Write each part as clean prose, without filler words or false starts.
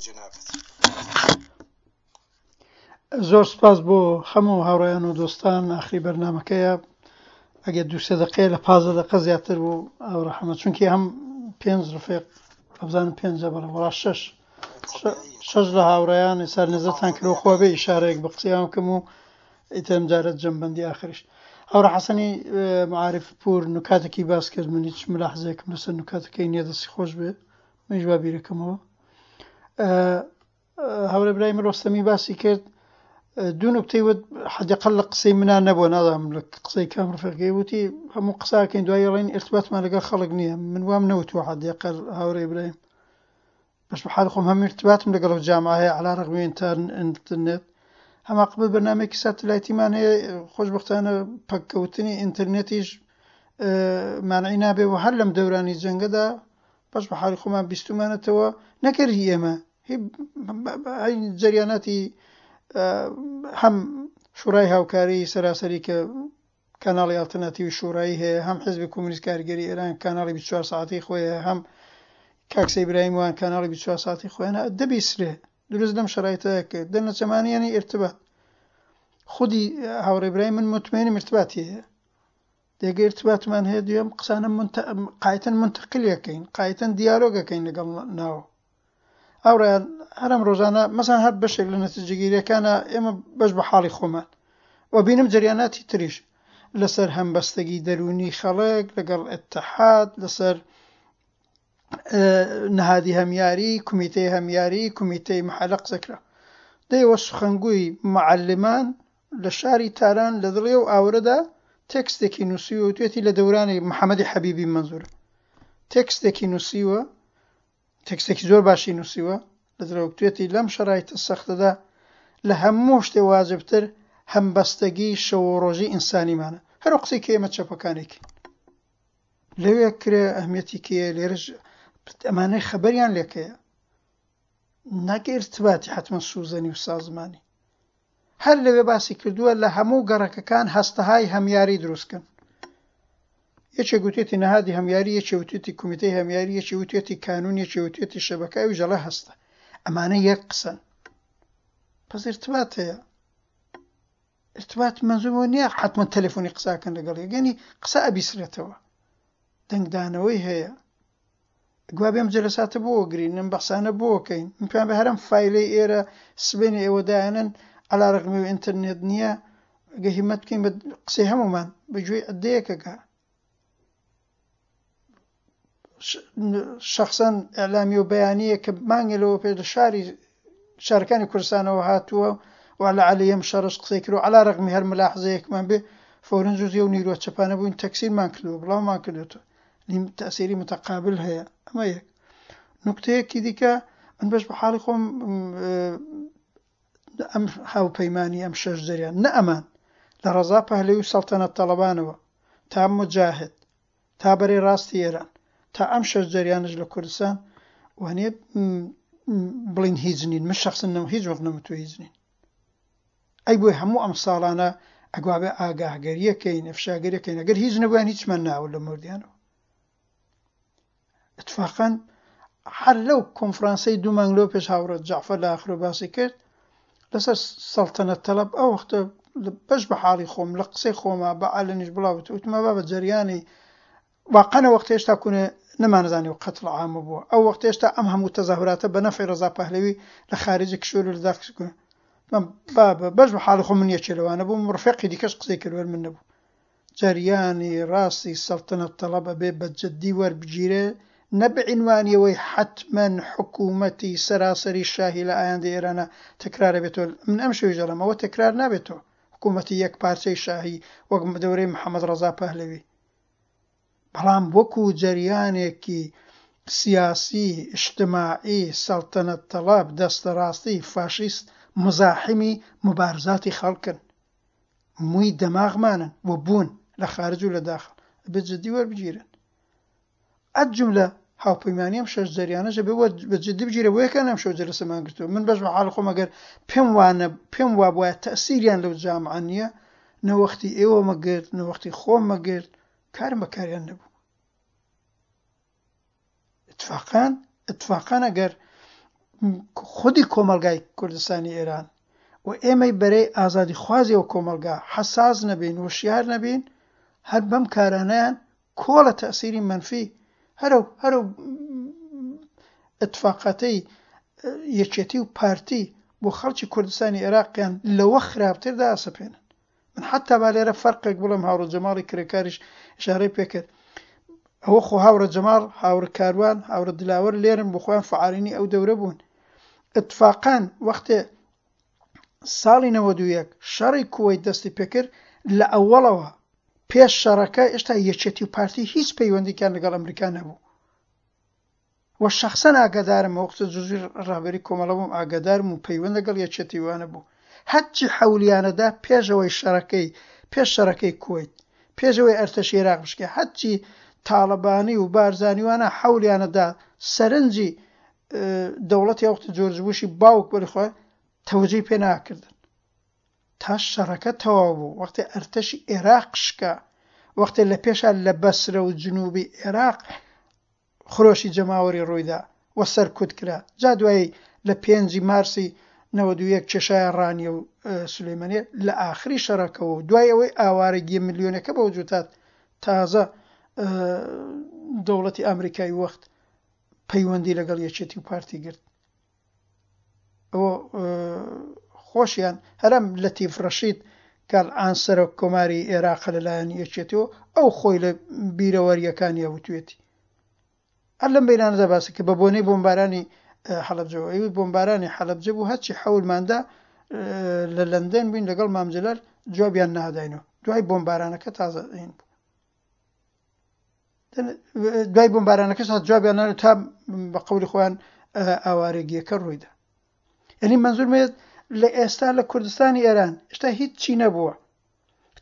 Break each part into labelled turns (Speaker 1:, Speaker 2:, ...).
Speaker 1: جەنابت.
Speaker 2: زۆر سپاس بۆ هەموو هاوڕێیان و دۆستان ئاخری بەرنامەکەیە ئەگەر دوو سێ دەقەیە لە پازدە دەقە زیاتر بوو ئەو ڕەحمە چونکی هەم پێنج ڕفێق ئەبزانم پێنجە بەڵێ وەڵا شەش شەش لە هاوڕێیان سەر نەزەتان کرد خوا بێ ئیشارەیەک بە قسەیان بکەم و ئیترم جارە جەمبەندی ئاخریش هاوڕێ حەسەنی معارف پور نکاتێکی باس کرد من هیچ ملاحزەیەکم لەسەر نکاتەکەی نییە دەستی خۆش بێ منیش با بیرەکەمەوە هاورێ برایم ڕۆستەمی باسی کرد دوو نوکتەی وت حەدەقل لە قسەی منا نەبووە نازانم لە قسەی کام ڕفێقەکەی وتی هەموو قساکەین دوای ڕێن ارتباطمان لەگەڵ خەڵک نییە من وام نەوتووە حەدەقل هاورێ برایم بەش بە حال خۆم هەم ارتباطم لەگەڵ ئەو جامعە هەیە علا ڕەغمی ئینتەرنێت هەما قبل بەرنامەیەکی ساتلایتیمان هەیە خۆشبەختانە پەککەوتنی ئینتەرنێتیش مانعی نابێ و هەر لەم دەورانی جەنگەدا بەش بە حالی خۆمان بیستومانەتەوە نەکەر هی ئێمە هی جەریاناتی هەم شورای هاوکاری سەراسەری کە کەناڵی ئەڵتەرناتیوی شورایی هەیە هەم حزبی کۆمۆنیست کارگەری ئێران کەناڵی 24 ساعتی خۆی هەیە هەم کاک سەی ئیبراهیم وان کەناڵی 24 ساعتی خۆیانە دەبیسرێ دروست لەم شەرایتەیە کرد دەرنەچەمانی یانی ئیرتبات خودی هاوڕێ برایم من مطمئنم ارتباطی هەیە دێگە ارتباطمان هەیە دوێم قسانە قایتەن منتەقلیەکەین قایتەن دیالۆگەکەین لەگەڵ ناو هاوڕێیان هەر ئەم ڕۆژانە مەسەن هەر بەشێک لە نەتیجەگیریەکانە ئێمە بەش بە حاڵی خۆمان و بینم جەریاناتی تریش لەسەر هەمبەستەگی دەروونی خەڵک لەگەڵ ئیتحاد لەسەر نهادی هەمیاری کومیتەی هەمیاری کومیتەی محەلە قسە کرا دەیەوە سخنگوی معلمان لە شاری تاران لە دڵی ئەو ئاورەدا تێکستێکی نووسیوە و توێتی لە دەورانی محەممەدی حەبیبی مەنزوورە تێکستێکی نووسیوە تێکستێکی زۆر باشی نووسیوە لە درەوکتوێتی لەم شەرایتە سەختەدا لە هەموو شتێ واجبتر هەمبەستەگی شەو و ڕۆژی ئینسانیمانە هەر ئەو قسەی کە ئێمە چەپەکانێکین لەوێ کرێ ئەهمیەتی کێیە لێرەش ئەمانەی خەبەریان لێکەیە نەک ئیرتباتی حەتمەن سوزەنی و سازمانی هەر لەوێ باسی کردووە لە هەموو گەڕەکەکان هەستەهای هەمیاری دروست کەن. یەکێک وتێتی نەهادی هەمیاری، یەکێ وتێتی کومیتەی هەمیاری، یەکێ وتێتی کانوون، یەکێ وتێتی شەبەکە، ئەویش ئەڵێ هەستە. ئەمانە یەک قسەن. پس ئیرتبات هەیە. ئیرتبات مەنزوور ئەوە نییە حەتمەن تەلەفۆنی قسە کەن لەگەڵ یەک، یانی قسە ئەبیسرێتەوە. دەنگدانەوەی هەیە. گوا بێم جەلەساتە بۆ گرین ئەم بەحسانە بۆ کەین من پێیان بێ هەرم فایلەی ئێرە سبەینێ ئێوە دایانن عەلا رەغمی و ئینتەرنێت نییە گە هیمەت بکەین بە قسەی هەموومان بە گوێی عدەیەکەکە شخصەن ئەلامی و بەیانیە کە مانگێ لەوە پێش لە شاری شارەکانی کوردستانەوە هاتووە و لە عەلیەم شەڕش قسەی کرد و عەلا رەغمی هەر ملاحزەیەکمان بێ فەورەن جزی و نیرۆ چەپانە بووین تەکسیرمان کردووە بڵاومان کردوێتەوە تەئسیری متقابل هەیە ئەمە یەک نوکتەیەکی دیکە من بەش بە حاڵی خۆم ئەم هاوپەیمانی ئەم شەش جەریان نە ئەمان لە ڕەزا پەهلەوی و سەڵتەنەت تەڵەبانەوە تا مجاهد تا بەرەی ڕاستی ئێران تا ئەم شەش جەریانش لە کوردستان وانێ بڵین هیچ نین من شخصن نەم هیچ وەخت نەمتوە هیچ نین ئەی بۆی هەموو ئەم ساڵانە ئەگوابێ ئاگاهگەریەکەین ئەفشاگەریەکەین ئەگەر هیچ نەبوویان هیچمان ناوە لە مردیانەوە اتفاقا هەر لەو کۆنفرانسەی دوو مانگ لەو پێش هاوڕێ جەعفەر لە ئاخرۆ باسی کرد لەسەر سەڵتەنەت تەڵەب ئەو وەختە بەش بە حاڵی خۆم لە قسەی خۆما بە عەلەنیش بڵاوت وتمە بابە جەریانی واقعەن ئەو وەختە هێشتا کونێ نەمانەزانی و قەتڵ عامە بووە ئەو وەختە هێشتا ئەم هەموو تەزاهوراتە بە نەفعی ڕەزا پەهلەوی لە خارجی کشوەر و لە داخل کونێ بابە بەش بە حاڵی خۆم من یەکێ لەوانە بووم ڕفێقی دیکەش قسەی کرد وەر من نەبوو جەریانی ڕاستی سەڵتەنەت تەڵەب ئەبێ بە جدی وەربگیرێ نە بە عینوانی ئەوەی حەتمەن حکوومەتی سەراسەری شاهی لە ئایندەی ئێرانا تەکرار ئەبێتەوە من ئەمشەویش ئەڵێم ئەوە تەکرار نابێتەوە حکوومەتی یەک پارچەی شاهی وەک دەورەی محەمەد ڕەزا پەهلەوی بەڵام وەکو جەریانێکی سیاسی، ئیجتماعی، سەڵتەنەت تەڵەب، دەستەڕاستی، فاشیست موزاحیمی موبارزاتی خەڵکن. مووی دەماغمانن و بوون لە خارج و لە داخڵ. ئەبێ جدی وەربگیرێن. ئەد جوملە هاوپەیمانی ئەم شەش جەریانەش ئەبێ وەر بە جدی بگیرێ بۆ یەکیان ئەمشەو جەلەسەمان گرتووە. من بەش بە حاڵی خۆم ئەگەر پێم وا نە پێم وابوایە تەئسیریان لەو جامعە نییە نە وەختی ئێوەمە گرت نە وەختی خۆمە گرت کارم بە کاریان نەبوو. اتفاقان اتفاقان ئەگەر خودی کۆمەڵگای کوردستانی ئێران و ئێمەی بەرەی ئازادیخوازی ئەو کۆمەڵگا حەساس نەبین، وشیار نەبین، هەر بەم کارانەیان کۆڵە تەئسیری مەنفی هەرەو هەرەو ئیتفاقاتەی یەکێتی و پارتی بۆ خەڵکی کوردستانی ئێراقیان لەوە خراپتر دائەسەپێنن. من حەتا با لێرە فەرقێک بڵێم هاوڕێ جەماڵی کرێکاریش ئیشارەی پێکرد ئەوە خۆ هاوڕێ جەماڵ هاوڕێ کاروان هاوڕێ دلاوەر لێرن بۆ خۆیان فعالینی ئەو دەورە بوون ئیتفاقان وەختێ ساڵی 91 شەڕی کوەیت دەستی پێکرد لە ئەوەڵەوە پێش شەڕەکە ئێشتا یەکێتی و پارتی هیچ پەیوەندیکیان لەگەڵ ئەمریکا نەبوو و شەخسەن ئاگادارم وەختە جزوی ڕەهبەری کۆمەڵە بووم ئاگادارم و پەیوەند لەگەڵ یەکێتی وانە بوو هەرچی حەولیانەدا پێش ئەوەی شەڕەکەی پێش شەڕەکەی کوەیت پێش ئەوەی ئەرتەشی ئێراق بشکێ هەرچی تاڵەبانی و بارزانی وانە حەولیانەدا سەرنجی دەوڵەتی ئەوەختە جۆرج بوشی باوک بەری خۆی تەوەجەی پێ ناکردن تا شەڕەکە تەواو بوو وەختێ ئەرتەشی ئێراق شکا وەختێ لە پێشا لە بەسرە و جنوبی ئێراق خرۆشی جەماوەری ڕوویدا و سەرکوت کرا، جا دوایی لە پێنجی مارسی 91 کێشایە ڕانیە و سولەیمانیە لە ئاخری شەڕەکەوە و دوای ئەوەی ئاوارەگیە ملیۆنەکە بە وجود هات تازە دەوڵەتی ئامریکای وەخت پەیوەندی لەگەڵ یەکێتی و پارتی گرت. ئەوە خۆشیان هەرم لەتیف ڕەشید کالعان سەرۆک کۆماری ئێراقە لەلایەن یەکێتیەوە ئەو خۆی لە بیرەوەریەکانیە وتوێتی هەر لەم بینانەدا باسی کە بە بۆنەی بۆمبارانی حەلەبجەوە ئەوی بۆمبارانی حەلەبجە بوو هەرچی حەولماندا لە لەندەن بووین لەگەڵ مام جەلال جوابیان ناداینەوە دوای بۆمبارانەکە تازە هین بوو دوای بۆمبارانەکەش هات جوابیان نانە تا بە قەولی خۆیان ئاوارەگیەکە ڕوویدا یعنی منزور مێت لە ئێستا لە کوردستانی ئێران ئێستا هیچ چی نەبووە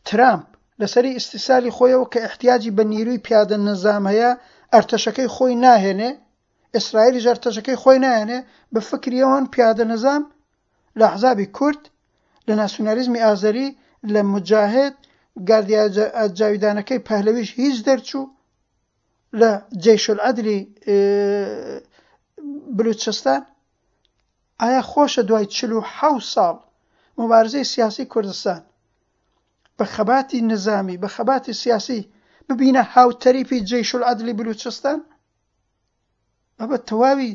Speaker 2: ترامپ لەسەری ئیستیسالی خۆیەوە کە احتیاجی بە نیروی پیادە نظام هەیە ئەرتەشەکەی خۆی ناهێنێ ئیسرائیلیش ئەرتەشەکەی خۆی ناهێنێ بە فکریەوەن پیادە نظام لە ئەحزابی کورد، لە ناسیونالیزمی ئازەری، لە موجاهد، گاردیا جاویدانەکەی پەهلەویش هیچ دەرچوو، لە جەیشولعەدلی بلوچستان. ئایا خۆشە دوای 47 ساڵ موبارزەی سیاسی کوردستان بە خەباتی نزامی، بە خەباتی سیاسی ببینە هاوتەریپی جەیشولعەدلی بلوچستان؟ بابە تەواوی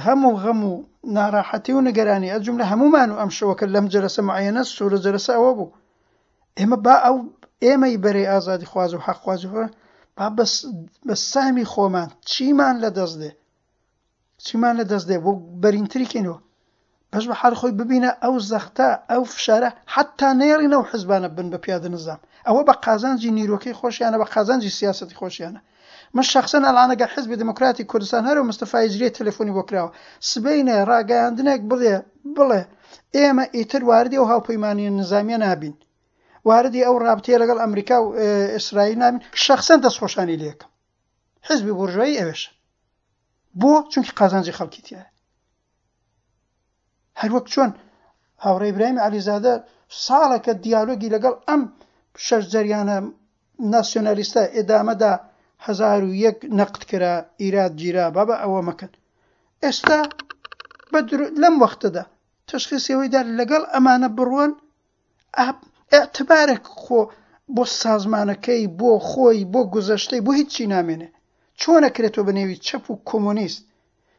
Speaker 2: هەم و غەم و ناڕاحەتی و نگەرانی ئەجملە هەمومان و ئەم شەوەکە لەم جەلەسە معەنە سوورە جەلەسە ئەوە بوو ئێمە با ئەو ئێمەی بەرەی ئازادی خواز و حەقخوازی خۆ با بەس بە سامی خۆمان چیمان لە دەست دێ چیمان لە دەست دێ بۆ بەرینتری کەینەوە بەش بە حاڵی خۆی ببینە ئەو زەختە ئەو فشارە حەتتا نەیەڵین ئەو حزبانە بن بە پیادە نزام ئەوە بە قازانجی نیرۆکەی خۆشیانە بە قازانجی سیاسەتی خۆشیانە من شەخسەن ئەلان ئەگەر حزبی دموکراتی کوردستان هەرو مستەفا هیجریە تەلەفۆنی بۆ کراوە سبەینێ ڕاگەیاندنێک بڵێ بڵێ ئێمە ئیتر واردی ئەو هاوپەیمانیە نزامیە نابین واردی ئەو ڕابتەیە لەگەڵ ئەمریکا و ئیسرائیل نابین شەخسەن دەستخۆشانی لێکم حزبی بورژوایی ئەوێشە بۆ چونکی قازانجی خەڵکی تیایە هەروەک چۆن هاوڕێ ئیبراهیم عەلیزادە ساڵێکە دیالۆگی لەگەڵ ئەم شەش جەریانە ناسیۆنالیستە ئێدامەدا 1001 نەقد کرا ئیراد گیرا بابا ئەوە مەکەن ئێستا لەم وەختەدا تشخیصی ئەوەیدا لەگەڵ ئەمانە بڕۆن ئیعتبارێک خۆ بۆ سازمانەکەی، بۆ خۆی، بۆ گوزەشتەی، بۆ هیچی نامێنێ. چۆن ئەکرێ تۆ بە نێوی چەپ و کۆمۆنیست،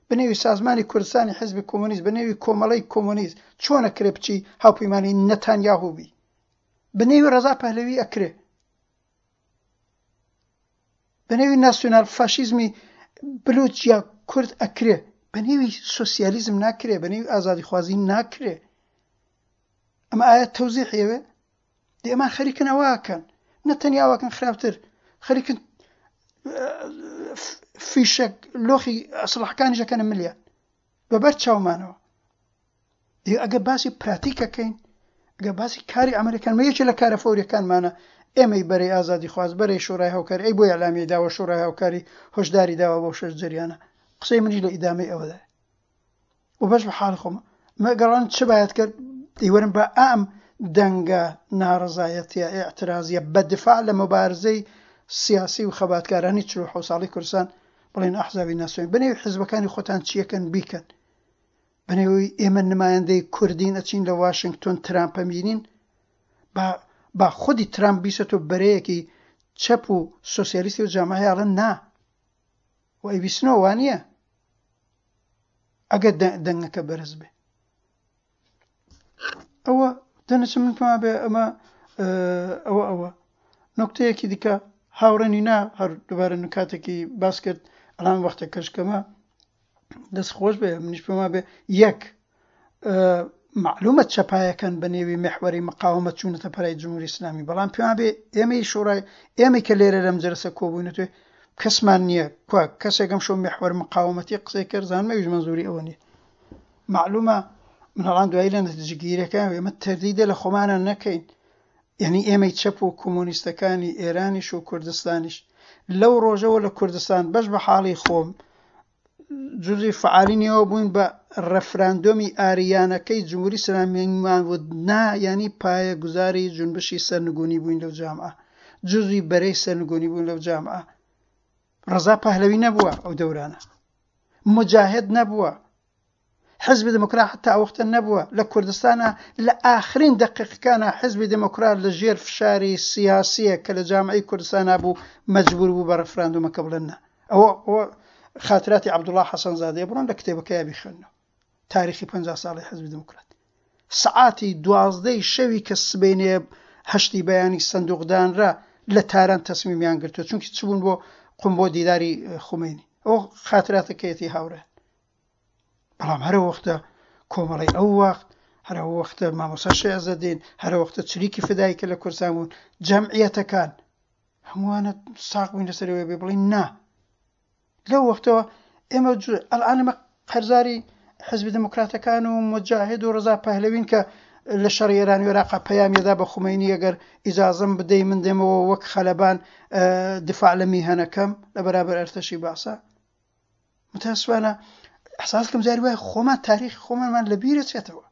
Speaker 2: بە نێوی سازمانی کوردستانی حیزبی کۆمۆنیست، بە نێوی کۆمەڵەی کۆمۆنیست، چۆن ئەکرێ بچی هاوپەیمانی نەتانیاهو بی؟ بە نێوی ڕەزا پەهلەوی ئەکرێ؟ بە نێوی ناسیۆنال فاشیزمی بلوچ یا کورد ئەکرێ؟ بە نێوی سۆسیالیزم ناکرێ، بە نێوی ئازادیخوازی ناکرێ. ئەمە ئایا تەوزیحی ئەوێ؟ دێ ئەمان خەریکن ئەوە ئەکەن نە تەنیا ئەوەکەن خراپتر خەریکن فیشەک لۆخی ئەسڵحەکانیش ئەکەنە ملیان بەبەر چاومانەوە دێ ئەگە باسی پراتیکەکەین ئەگە باسی کاری ئەمریکان مە یەکێ لە کارە فەوریەکانمانە ئێمەی بەرەی ئازادی خواز بەرەی شۆرای هاوکاری ئەی بۆ ئیعلامیەی داوە شۆرای هاوکاری هۆشداری داوە بۆ شەش جەریانە قسەی منیش لە ئیدامەی ئەوەدایە و بەش بە حاڵی خۆم مەگەڕان چ باید کرد دەیوەرم بە ئەم دەنگە ناڕەزایەتیە ئیعترازیە بە دفاع لە مبارزەی سیاسی و خەباتکارانی 47 ساڵی کوردستان بڵێن ئەحزابی ناسیۆن بەنێوی حزبەکانی خۆتان چیەکەن بیکەن. بەنێوی ئێمە نمایندەی کوردین ئەچین لە واشنگتۆن ترامپ ئەبینین با با خودی ترامپ بیسێتۆ بەرەیەکی چەپ و سۆسیالیستی و جامعەیە ئەڵێن نا و ئەیبیسنەوە وانییە ئەگەر دەنگەکە بەرز بێ ئەوە دەنەچم من پێما بێ ئەمە ئەوە ئەوە نکتەیەکی دیکە هاوڕێنی نا هەر دووبارە نکاتێکی باس کرد ئەڵام وەختە کەشکەمە دەست خۆش بێ منیش پێما بێ یەک معلومە چەپایەکان بە نێوی محوەری مقاومە چوونەتە پەرای جمهوری ئیسلامی بەڵام پێوان بێ ئێمەی شۆڕای ئێمەی کە لێرە لەم جەلەسە کۆبووینەتێ کەسمان نییە کوا کەسێکم شۆ محوەر مقاومەتی قسەی کرد زانمە ئەویش مەنزوری ئەوە نییە معلومە مناڵان دوایی لە نەتیجەگیرەکان ئێمە تەردیدە لە خۆمانە نەکەین یعنی ئێمەی چەپ و کۆمۆنیستەکانی ئێرانیش و کوردستانیش لەو ڕۆژەوە لە کوردستان بەش بە حاڵی خۆم جزی فعالی نێوە بووین بە ڕەفراندۆمی ئاریانەکەی جمهوری ئیسلامیمان وت نا یعنی پایە گوزاری جونبشی سەرنگونی بووین لەو جامعە جزی بەرەی سەرنگونی بوون لەو جامعە ڕەزا پەهلەوی نەبووە ئەو دەورانە موجاهد نەبووە حزبی دموکرات حتا ئەو وەختە نەبووە لە کوردستانا لە ئاخرین دەقیقەکانا حزبی دموکرات لە ژێر فشاری سیاسیە کە لە جامعەی کوردستانا بوو مەجبور بوو بە ڕفراندومەکە بڵێن نا ئەوە ئەوە خاتراتی عەبدوڵا حەسەن زادەیە بڕۆن لە کتێبەکەیا بیخوێننەوە تاریخی 50 ساڵی حزبی دموکرات سەعاتی دوازدەی شەوی کە سبەینێ هەشتی بەیانی سندوق دانرا لە تاران تەسمیمیان گرتووە چونکی چبوون بۆ قوم بۆ دیداری خومەینی ئەو خاتراتەکەیەتی هاوڕێن بەڵام هەرە وەختە کۆمەڵی ئەو وەخت هەرە وەختە مامۆسا شێعزەدین هەرە وەختە چریکی فدایی کە لە کوردستان بوون جەمعیەتەکان هەمووانە ساق بووین لەسەرەوەی بێ بڵین نا لەو وەختەوە ئێمە ئەلان ئێمە قەرزاری حزبی دموکراتەکان و مجاهد و ڕزا پەهلەوین کە لە شەڕی ئێران و عێراق پەیامیدا بە خومەینی ئەگەر ئیجازەم بدەی من دێمەوە وەک خەلەبان دفاع لە میهەنەکەم لە بەرابەر ئەرتەشی باسە متاسفانە احساس کەم جاری وایە خۆمان تاریخی خۆمانمان لە بیرە چێتەوە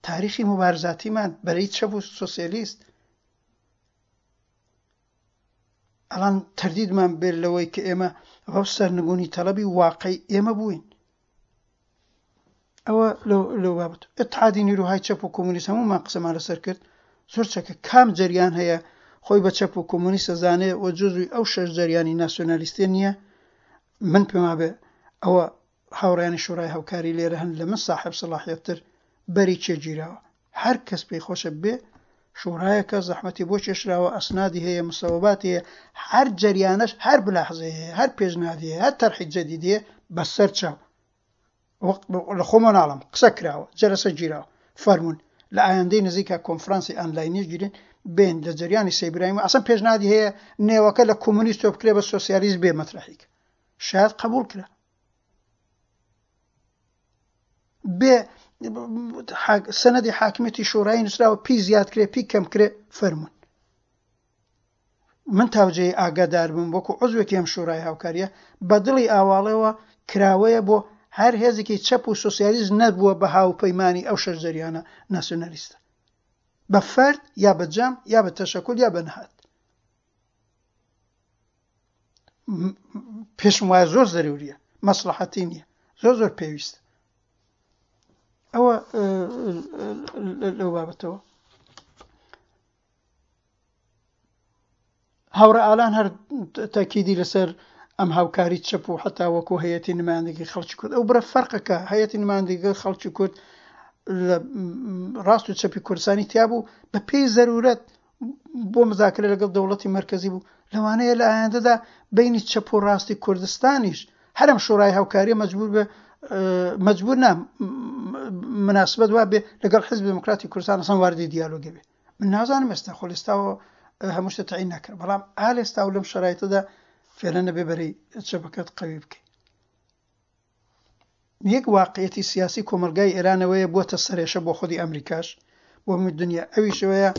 Speaker 2: تاریخی مبارزاتیمان بەرەی چەپ و سۆسیالیست ئەڵان تەردیدمان بێت لەوەی کە ئێمە ئەو سەرنگونی تەڵەبی واقعی ئێمە بووین ئەوە لەو بابەت اتحادی نیروهای چەپ و کۆمۆنیست هەموومان قسەمان لەسەر کرد زۆر چەکە کام جەریان هەیە خۆی بە چەپ و کۆمۆنیست ئەزانێ و جزوی ئەو شەش جەریانی ناسیۆنالیستێ نییە من پێم وابێ ئەوە هاوڕێیانی شورای هاوکاری لێرە هەن لە من ساحێب سەڵاحیەتتر بەری کێ گیراوە هەر کەس پێی خۆشە بێ شورایەکە زەحمەتی بۆ کێشراوە ئەسنادی هەیە مسەوەباتی هەیە هەر جەریانەش هەر ملاحزەی هەیە هەر پێشنهادی هەیە هەر تەرحی جەدیدی هەیە بەسەر چاو لە خۆمەوە ناڵێم قسە کراوە جەلەسە گیراوە فەرموون لە ئایندەی نزیکا کۆنفرانسی ئانلاینیش گیرێن بێن لە جەریانی سەی برایم ئەسڵەن پێشنهادی هەیە نێوەکە لە کۆمۆنیست بکرێ بە سۆسیالیست بێ مەترەحیک شاید قبول کرا بێ سەنەدی حاکمیەتی شۆرایی نووسراوە پی زیاد کرێ پی کەم کرێ فەرمونون من تاوجێی ئاگادار بم وەکو عوزوێکی ئەم شورای هاوکاریە بە دڵی ئاواڵەوە کراوەیە بۆ هەر هێزێکی چەپ و سۆسیالیست نەبووە بە هاوپەیمانی ئەو شەش جەریانە ناسیۆنالیستە بە فەرد یا بە جەم یا بە تەشەکول یا بە نهاد پێشم وایە زۆر زەروریە مەسڵەحەتی نییە زۆر زۆر پێویستە ئەوە لەو بابەتەوە هاوڕێ ئالان هەر تەکیدی لەسەر ئەم هاوکاری چەپ و حتا وەکو هەیەتی نمایندگی خەڵکی کورد ئەو بڕە فەرقەکە هەیەتی نمایندگی خەڵکی کورد لە ڕاست و چەپی کوردستانی تیا بوو بە پێی زەرورەت بۆ مزاکرە لەگەڵ دەوڵەتی مەرکەزی بوو لەوانەیە لە ئایندەدا بینی چەپ و ڕاستی کوردستانیش هەرم شۆرای هاوکاریە مەجبور بێ مەجبور نا مناسبەت وا بێ لەگەڵ حزب دموکراتی کوردستان ئەسڵەن واردی دیالۆگێ بێ من نازانم ئێستا خۆ لێستاوە هەموو شتە تەعین ناکرێت بەڵام ئا لێستا و لەم شەرایتەدا فێرە نەبێ بەرەی چەپەکەت قەوی بکەی یەک واقعەتی سیاسی کۆمەلگای ئێرانەوەیە بووەتە سەرێشە بۆ خودی ئەمریکاش بۆ هەموو دنیا ئەویشەوەیە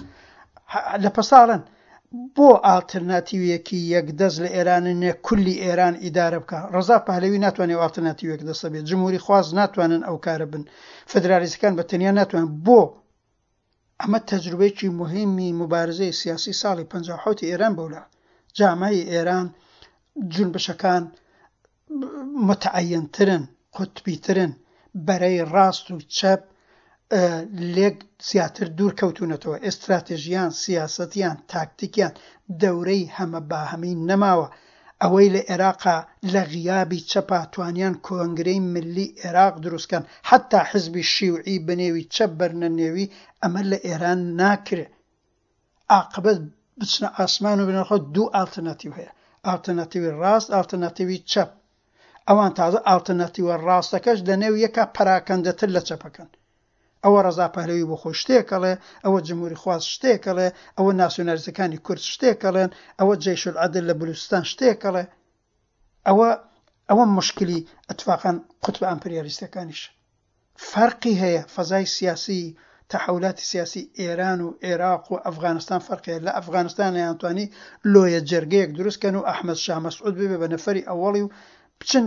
Speaker 2: لە پەساڵن بۆ ئاڵترناتیویەکی یەکدەست لە ئێران نیە کولی ئێران ئیدارە بکا ڕەزا پەهلەوی ناتوانێ ئەو ئاڵترناتیو یەکدەستە بێت جمهوری خواز ناتوانن ئەو کارە بن فدرالیستەکان بە تەنیا ناتوانن بۆ ئەمە تەجروبەیەکی موهیمی موبارزەی سیاسی ساڵی 57 ئێران بەولا جامعەی ئێران جونبشەکان متعەینترن قوتبیترن. بەرەی ڕاست و چەپ لێک زیاتر دوور کەوتوونەتەوە، ئێستراتێژیان، سیاسەتیان، تاکتیکیان دەورەی هەمە باهەمی نەماوە. ئەوەی لە ئێراقا لە غیابی چەپا توانیان کۆنگرەی ملی ئێراق دروست کەن، حەتا حزبی شیوعی بەنێوی چەپ بەرنە نێوی، ئەمە لە ئێران ناکرێ. ئاقبەت بچنە ئاسمان و بنەخۆ دوو ئالتەرناتیو هەیە، ئالتەرناتیوی ڕاست، ئالتەرناتیوی چەپ. ئەوان تازە ئاڵترناتیوە ڕاستەکەش لە نێو یەکا پەراکەندەتر لە چەپەکەن. ئەوە ڕەزا پەهلەوی بۆ خۆی شتێک ئەڵێ، ئەوە جمهوریخواز شتێک ئەڵێ، ئەوە ناسیۆنالیستەکانی کورد شتێک ئەڵێن، ئەوە جەیشولعەدل لە بلوچستان شتێک ئەڵێ. ئەوە ئەوە موشکلی ئیتفاقەن قوتبە ئەمپریالیستەکانیشە. فەرقی هەیە فەزای سیاسی تەحەولاتی سیاسی ئێران و عێراق و ئەفغانستان فەرقی هەیە لە ئەفغانستان نەیانتوانی لۆیە جەرگەیەک دروست کەن و ئەحمەد شا مەسعود ببێ بە نەفەری ئەوەڵی و بچن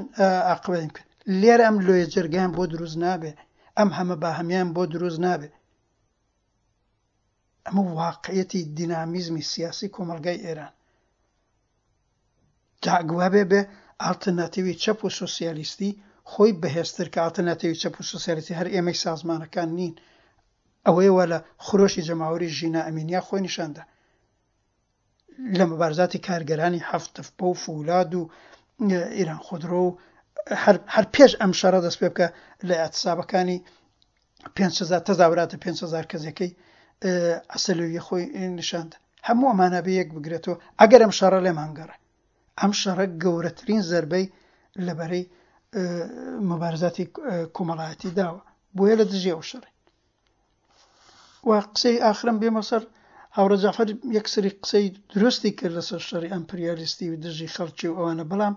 Speaker 2: ئاقبەتی بکەن لێرە ئەم لۆیە جەرگەیان بۆ دروست نابێ ئەم هەمە باهەمیان بۆ دروست نابێ ئەمە واقعیەتی دینامیزمی سیاسی کۆمەڵگای ئێران جا گوابێ بێ ئاڵترناتیوی چەپ و سۆسیالیستی خۆی بەهێزتر کە ئاڵترناتیوی چەپ و سۆسیالیستی هەر ئێمەی سازمانەکان نین ئەوەیە وا لە خرۆشی جەماوەری ژینا ئەمینیا خۆی نیشان دا لە مبارزاتی کارگەرانی هەفت تەپە و فولاد و ئیران خودرۆ و هەر هەر پێش ئەم شەڕە دەست پێ بکە لە ئیعتسابەکانی 5000 تەزاوراتە 5000 کەسەکەی عەسەلویە خۆی نیشاندا هەموو ئەمانە بێ یەک بگرێتەوە ئەگەر ئەم شەڕە لێمان گەڕێ ئەم شەڕە گەورەترین زەربەی لە بەرەی مبارزاتی کۆمەڵایەتی داوە بۆیە لە دژی ئەو شەڕی و قسەی ئاخرم بێمە سەر هاوڕێ جەعفەر یەکسری قسەی دروستی کرد لەسەر شەڕی ئەمپریالیستی و دژی خەڵکی و ئەوانە بەڵام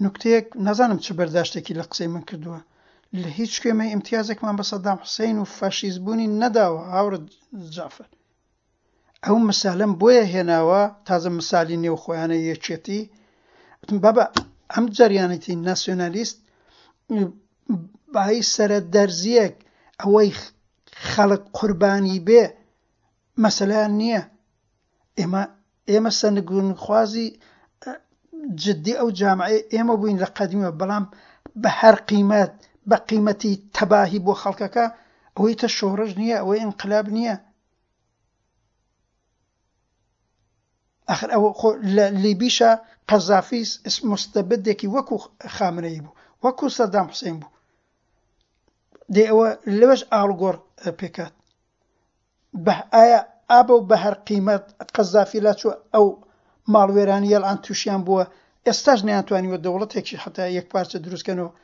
Speaker 2: نوکتەیەک نازانم چ بەرداشتێکی لە قسەی من کردووە لە هیچ کوێ مە ئیمتیازێکمان بە سەدام حوسەین و فاشیست بوونی نەداوە هاوڕێ جەعفەر ئەو مسالەم بۆیە هێناوە تازە مسالی نێو خۆیانە یەکێتی وتم بابا ئەم جەریانەتی ناسیۆنالیست بای سەرە دەرزیەک ئەوەی خەڵک قوربانی بێ مەسەلەیان نییە ئێمە ئێمە سەرنگونخوازی جدی ئەو جامعەی ئێمە بووین لە قەدیمەوە بەڵام بە هەر قیمەت بە قیمەتی تەباهی بۆ خەڵکەکە ئەوەی تە شۆڕش نییە ئەوەی ئینقلاب نییە ئەخر ئەوە خۆ لە لیبیشا قەزافی مستەبدێکی وەکو خامنەیی بوو وەکو سەدام حوسێن بوو دێ ئەوە لەوەش ئاڵگۆڕ پێکات بە ئایا ئابە و بە هەر قیمەت قەزافی لاچووە ئەو ماڵوێرانی یەلان تووشیان بووە ئێستاش نەیانتوانیوە دەوڵەتێکی حتا یەک پارچە دروستکەن و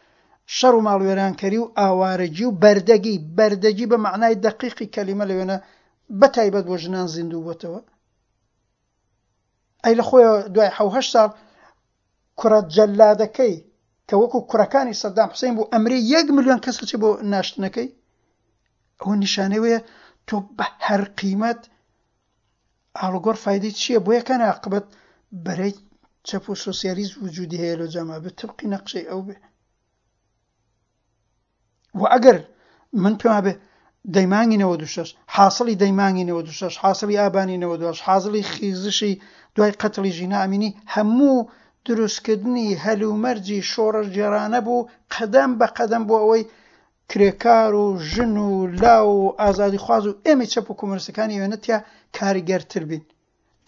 Speaker 2: شەڕ و ماڵوێرانکەری و ئاوارەگی و بەردەگی بەردەگی بە مەعنای دەقیقی کەلیمە لەوێنە بە تایبەت بۆ ژنان زیندوو بۆتەوە ئەی لە خۆیەوە دوای حەو هەشت ساڵ کوڕە جەلادەکەی کە وەکو کوڕەکانی سەدام حوسین بوو ئەمری یەک ملیۆن کەس چی بۆ ناشتنەکەی ئەوە نیشانەوەیە تۆ بە هەر قیمەت ئاڵوگۆڕ فایدەی چییە بۆ یەکەن عاقبەت بەرەی چەپ و سۆسیالیست وجودی هەیە لۆ جامعە بێ تبقی نەقشەی ئەو بێ و ئەگەر من پێم وابێ دەی مانگی 96 حاصلی دەی مانگی 96 حاصلی ئابانی 98 حاصلی خیزشی دوای قەتڵی ژینا ئەمینی هەموو دروستکردنی هەلومەرجی شۆڕشگێڕانە بوو قەدەم بە قەدەم بۆ ئەوەی کرێکار و ژن و لاو و ئازادیخواز و ئێمەی چەپ و کۆمۆنیستەکانی ئەوێنە تیا کاریگەرتر بین.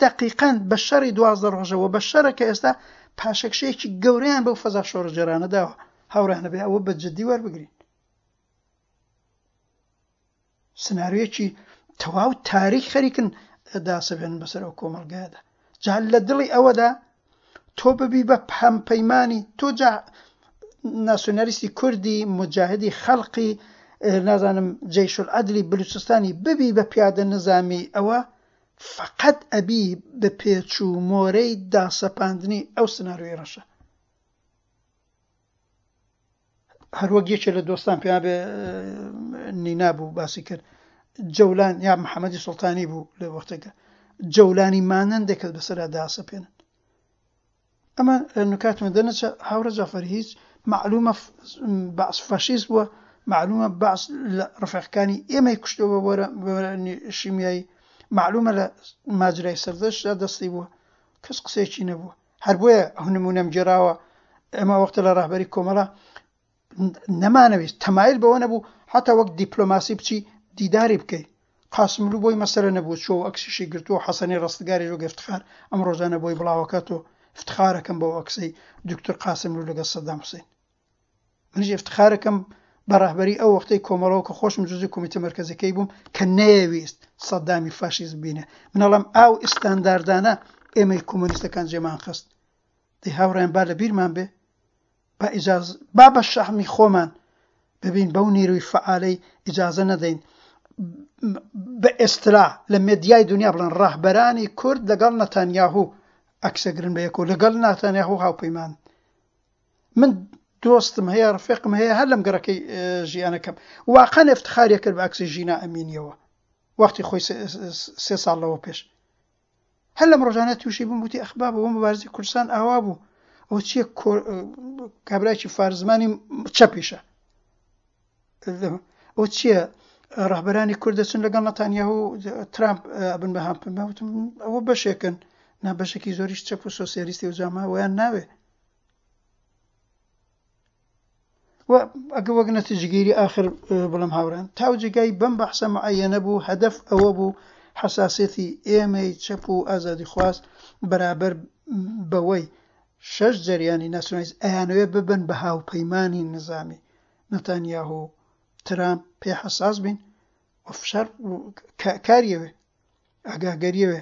Speaker 2: دەقیقەن بە شەڕی 12 ڕۆژە و بە شەڕە کە ئێستا پاشەکشەیەکی گەورەیان بەو فەزا شۆڕشگێڕانە داوە. هاوڕێیان ئەبێ ئەوە بە جدی وەربگرین. سناریۆیەکی تەواو تاریک خەریکن داسەپێنن بەسەر ئەو کۆمەڵگایەدا. جا لە دڵی ئەوەدا تۆ ببی بە هەمپەیمانی تۆ جا ناسیۆنالیستی کوردی مجاهدی خەڵقی نازانم جەیشولعەدلی بلوچستانی ببی بە پیادە نزامی ئەوە فقط ئەبی بە پێچ و مۆرەی داسەپاندنی ئەو سناریۆی ڕەشە هەروەک یەکێ لە دۆستان پێیان بێ نینا بوو باسی کرد جەولان یا محەممەدی سوڵتانی بوو لە وەختێکە جەولانی مانەندێک کەس بەسەرا داسەپێنن ئەمە نکاتمە دەنەچە هاوڕێ جەعفەر هیچ معلومە بەعس فاشیست بووە معلومە بەعس لە ڕفیقەکانی ئێمەی کوشتووە بە شیمیایی معلومە لە ماجرای سەردەشتدا دەستی بووە کەس قسەیەکی نەبووە هەر بۆیە ئەو نموونەم گێڕاوە ئێمە وەختە لە ڕەهبەری کۆمەڵە. نەمانەویست تەمایل بەوە نەبوو حتا وەک دیپلۆماسی بچی دیداری بکەی. قاسملوو بۆی مەسەلە نەبوو چووە و ئەکسیشی گرتووە و حەسەنی ڕەستگاریش وەک ئیفتخار ئەم ڕۆژانە بۆی بڵاوەکاتەوە ئیفتخارەکەم بەو ئەکسەی دوکتور قاسملوو لەگەڵ سەدام حوسەین. منیش ئیفتخارەکەم بە ڕەهبەری ئەو وەختەی کۆمەڵەوە کە خۆشم جزی کۆمیتە مەرکەزەکەی بووم کە نەیەویست سەدامی فاشیست ببینێ. من ئەڵێم ئاو ئیستانداردانە ئێمەی کۆمۆنیستەکان جێمان خست. دەی هاوڕێیان با لە بیرمان بێ با ئیجاز با بە شەحمی خۆمان ببین بەو نیروی فەعالەی ئیجازە نەدەین بە ئێستلا لە مێدیای دنیا بڵێن ڕەهبەرانی کورد لەگەڵ نەتانیاهو ئەکسەگرن بە یەکەوە لەگەڵ ناتانیاهو هاوپەیمان من دۆستم هەیە ڕفێقم هەیە هەر لەم گەڕەکەی ژیانەکەم واقعا ئفتخاریە کرد بە ئەکسی ژینا ئەمینیەوە وەختی خۆی سێ ساڵ لەوە پێش هەر لەم ڕۆژانە تووشی بووم وتی ئەخ بابە بۆ مبارزەی کوردستان ئاوا بوو ئەوە چییە کابرایکی فارزمانی چەپیشە ئەو چییە ڕەهبەرانی کورد دەچن لەگەڵ نەتانیاهو ترامپ بن بە هەم وتم ئەوە بەشێکن نا بەشێکی زۆریش چەپ و سۆسیالیستی و جاما ویان ناوێ و ئەگە وەک نەتیجەگیری ئاخر بڵێم هاوڕێیان تاو جێگای بەم بەحسە معەیەنە بوو هەدەف ئەوە بوو حەساسیەتی ئێمەی چەپ و ئازادیخواز بەرابەر بەوەی شەش جەریانی ناسیۆنالیست ئەیانەوێ ببن بە هاوپەیمانی نزامی نەتانیاهۆ و ترامپ پێ حەساس بین و فشار کاریەوێ ئاگاگەریەوێ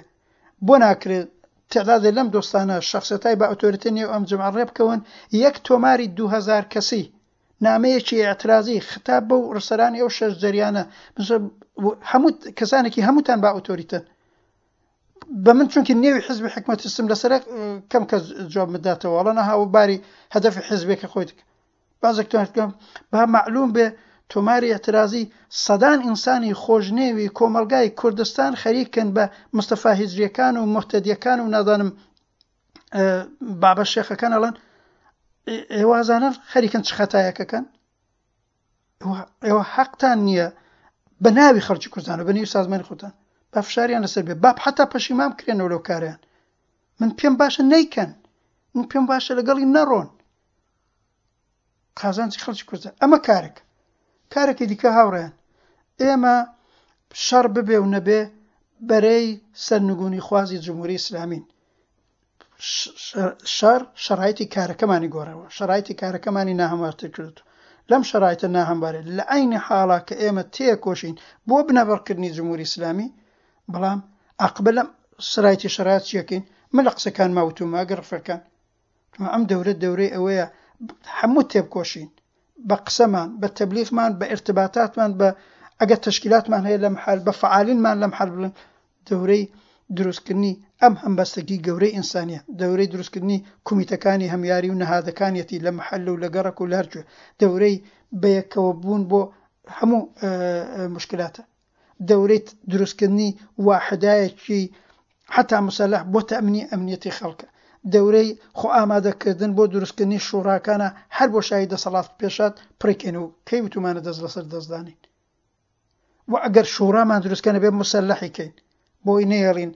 Speaker 2: بۆ ناکرێت تعدادێ لەم دۆستانە شەخسێتای بە ئۆتۆریتە نێو ئەم جەمعە ڕێ بکەون یەک تۆماری 2000 کەسی نامەیەکی ئیعترازی خطاب بەو ڕسەرانی ئەو شەش جەریانە هەموو کەسانێکی هەمووتان با ئۆتۆریتەن بە من چونکی نێوی حزبی حکمەتیستم لەسەر کەم کەس جواب بداتەوە ئەڵە نەها و باری هەدەفی حزبێکە خۆی بازێک تۆمار بکەم با مەعلوم بێ تۆماری ئیعترازی سەدان ئینسانی خۆشنێوی کۆمەڵگای کوردستان خەریکن بە مستەفا هیجریەکان و موهتەدیەکان و نازانم بابە شێخەکان ئەڵێن ئێوە ئەزانن خەریکن چ خەتایەکەکەن ئێوە حەقتان نییە بە ناوی خەڵکی کوردستان و بە نێوی سازمانی خۆتان با فشاریان لەسەر بێ با حتا پەشیمان بکرێنەوە لەو کاریان من پێم باشە نیکەن من پێم باشە لەگەڵی نەڕۆن قازانجی خەڵکی کوردە ئەمە کارێک کارێکی دیکە هاوڕێیان ئێمە شەڕ ببێ و نەبێ بەرەی سەرنگونی خوازی جمهوری ئیسلامین شەڕ شەڕایتی کارەکەمانی گۆڕەوە شەڕایتی کارەکەمانی ناهەموارتر کرد لەم شەڕایتە ناهەموارێ لە عینی حاڵا کە ئێمە تێکۆشین بۆ بنەبڕکردنی جمهوری ئیسلامی بەڵام عاقبە لەم سرایتی شەرات چیەکەین من لە قسەکانما وتومە ئەگەر ڕفەکان ئەم دەورە دەورەی ئەوەیە هەموو تێبکۆشین بە قسەمان بە تەبلیغمان بە ئرتباتاتمان بە ئەگەر تەشکیلاتمان هەیە لەم حال بە فعالینمان لەم حال بڵێن دەورەی دروستکردنی ئەم هەمبەستەگی گەورەی ئینسانیە دەورەی دروستکردنی کومیتەکانی هەمیاری و نەهادەکانیەتی لە محل و لە گەڕەک و لە هەرکوێ دەورەی بەیەکەوە بوون بۆ هەموو مشکلاتە دەورەی دروستکردنی واحدایەکی حەتا مسەلەح بۆ تەئمینی ئەمنیەتی خەڵکە، دەورەی خۆ ئامادەکردن بۆ دروستکردنی شوڕاکانە هەر بۆشایی دەسەڵات پێشات پڕیکەین و کەی وتومانە دەست لەسەر دەست دانین و ئەگەر شوڕامان دروستکەن ئەبێ مسەلەحی کەین بۆی نەیەڵین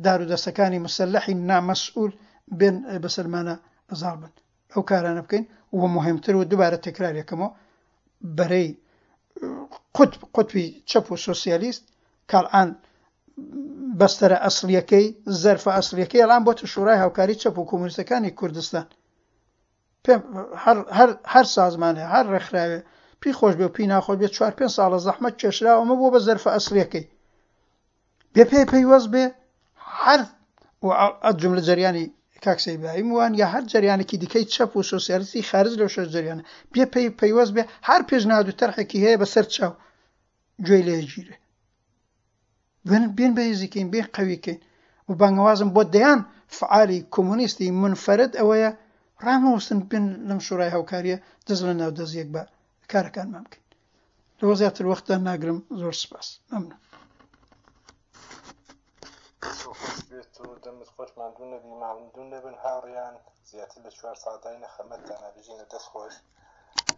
Speaker 2: دارو دەستەکانی مسەلەحی نامەسئول بێن بەسەرمانە زاڵ بن. ئەو کارانە بکەین و موهیمتر و دوبارە تەکرار یەکەمەوە بەرەی قوتب قوتبی چەپ و سۆسیالیست کاڵان بەستەرە ئەسڵیەکەی زەرفە ئەسڵیەکەی ئەڵان بۆتە شورای هاوکاری چەپ و کۆمۆنیستەکانی کوردستان پێم هەر هەر هەر سازمانێ هەر ڕێکخراوێ پی خۆش بێ و پی ناخۆش بێ چوار پێنج ساڵە زەحمەت کێشراوە ئەمە بۆ بە زەرفە ئەسڵیەکەی بێ پێ پەیوەست بێ هەر و جملە جەریانی کاک سەید ئیبراهیم وان یا هەر جەریانێکی دیکەی چەپ و سۆسیالیستی خارج لەو شەش جەریانە بێ پێی پەیوەست بێ هەر پێشنهاد و تەرحێکی هەیە بەسەر چاو گوێی لێ گیرێ بێن بێن بەهێزی کەین بێن قەوی کەین و بانگەوازم بۆ دەیان فعالی کۆمۆنیستی منفەرد ئەوەیە ڕامەوەستن بێن لەم شورای هاوکاریە دەست لە ناو دەست یەک بە کارەکانمان بکەین لەوە زیاتر وەختتان ناگرم زۆر سپاس مەمنون.
Speaker 1: دەست خۆش بێت و دەمت خۆش ماندوو نەبی ماندوو نەبن هاوڕێیان زیاتر لە چوار ساعت داینە خەمەتتانە بژین و دەست خۆش.